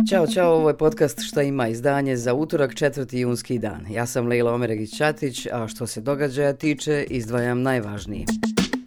Ćao, ovo je podcast Šta ima, izdanje za utorak 4. junski dan. Ja sam Lejla Omeregić-Ćatić, a što se događaja tiče, izdvajam najvažnije.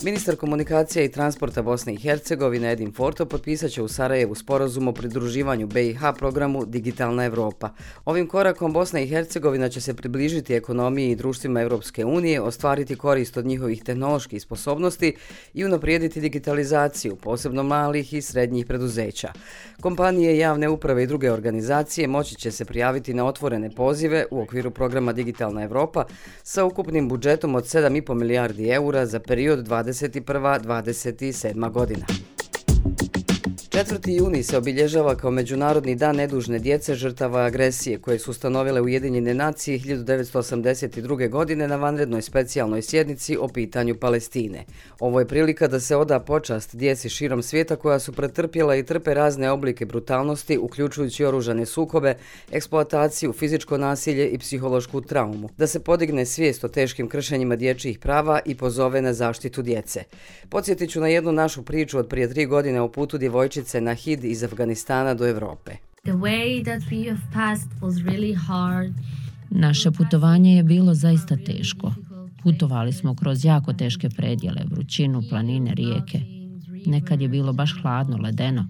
Ministar komunikacija i transporta Bosne i Hercegovine Edin Forto potpisat će u Sarajevu sporazum o pridruživanju BiH programu Digitalna Evropa. Ovim korakom Bosna i Hercegovina će se približiti ekonomiji i društvima Europske unije, ostvariti korist od njihovih tehnoloških sposobnosti i unaprijediti digitalizaciju, posebno malih i srednjih preduzeća. Kompanije, javne uprave i druge organizacije moći će se prijaviti na otvorene pozive u okviru programa Digitalna Evropa sa ukupnim budžetom od 7,5 milijardi eura za period 2021-2027 godina. 4. juni se obilježava kao Međunarodni dan nedužne djece žrtava agresije koje su ustanovile Ujedinjene nacije 1982. godine na vanrednoj specijalnoj sjednici o pitanju Palestine. Ovo je prilika da se oda počast djeci širom svijeta koja su pretrpjela i trpe razne oblike brutalnosti, uključujući oružane sukobe, eksploataciju, fizičko nasilje i psihološku traumu. Da se podigne svijest o teškim kršenjima dječjih prava i pozove na zaštitu djece. Podsjetit ću na jednu našu priču od prije 3 godine o putu djevojčice Nahid iz Afganistana do Europe. Naše putovanje je bilo zaista teško. Putovali smo kroz jako teške predjele, vrućinu, planine, rijeke. Nekad je bilo baš hladno, ledeno.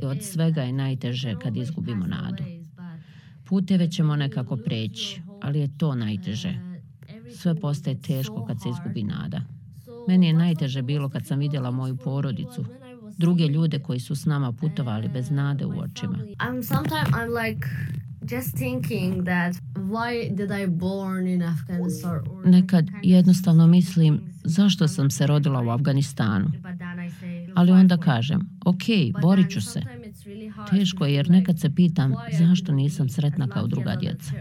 Od svega je najteže kad izgubimo nadu. Puteve ćemo nekako preći, ali je to najteže. Sve postaje teško kad se izgubi nada. Meni je najteže bilo kad sam vidjela moju porodicu, druge ljude koji su s nama putovali bez nade u očima. Nekad jednostavno mislim zašto sam se rodila u Afganistanu. Ali onda kažem, ok, borit ću se. Teško je jer nekad se pitam zašto nisam sretna kao druga djeca.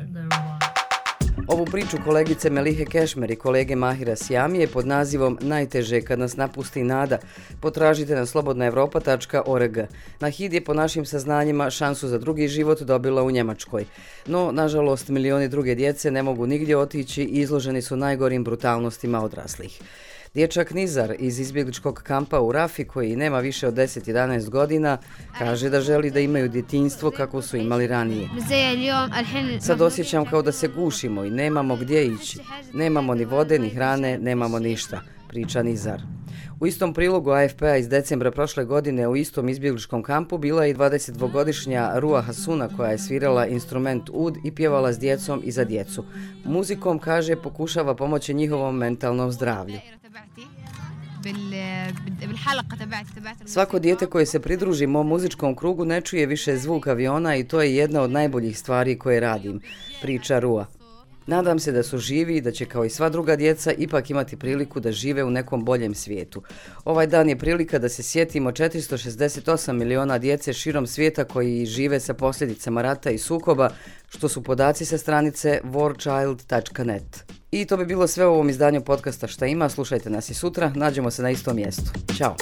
Ovu priču kolegice Melihe Kešmer i kolege Mahira Sjamije pod nazivom Najteže kad nas napusti nada potražite na slobodnaevropa.org. Nahid je po našim saznanjima šansu za drugi život dobila u Njemačkoj. No, nažalost, milioni druge djece ne mogu nigdje otići i izloženi su najgorim brutalnostima odraslih. Dječak Nizar iz izbjegličkog kampa u Rafi, koji nema više od 10-11 godina, kaže da želi da imaju djetinjstvo kako su imali ranije. Sad osjećam kao da se gušimo i nemamo gdje ići. Nemamo ni vode, ni hrane, nemamo ništa, priča Nizar. U istom prilogu AFP-a iz decembra prošle godine u istom izbjegličkom kampu bila je i 22-godišnja Rua Hasuna koja je svirala instrument ud i pjevala s djecom i za djecu. Muzikom, kaže, pokušava pomoći njihovom mentalnom zdravlju. Svako dijete koje se pridruži mom muzičkom krugu ne čuje više zvuk aviona i to je jedna od najboljih stvari koje radim, priča Rua. Nadam se da su živi i da će kao i sva druga djeca ipak imati priliku da žive u nekom boljem svijetu. Ovaj dan je prilika da se sjetimo 468 miliona djece širom svijeta koji žive sa posljedicama rata i sukoba, što su podaci sa stranice warchild.net. I to bi bilo sve u ovom izdanju podcasta Šta ima, slušajte nas i sutra, nađemo se na istom mjestu. Ćao!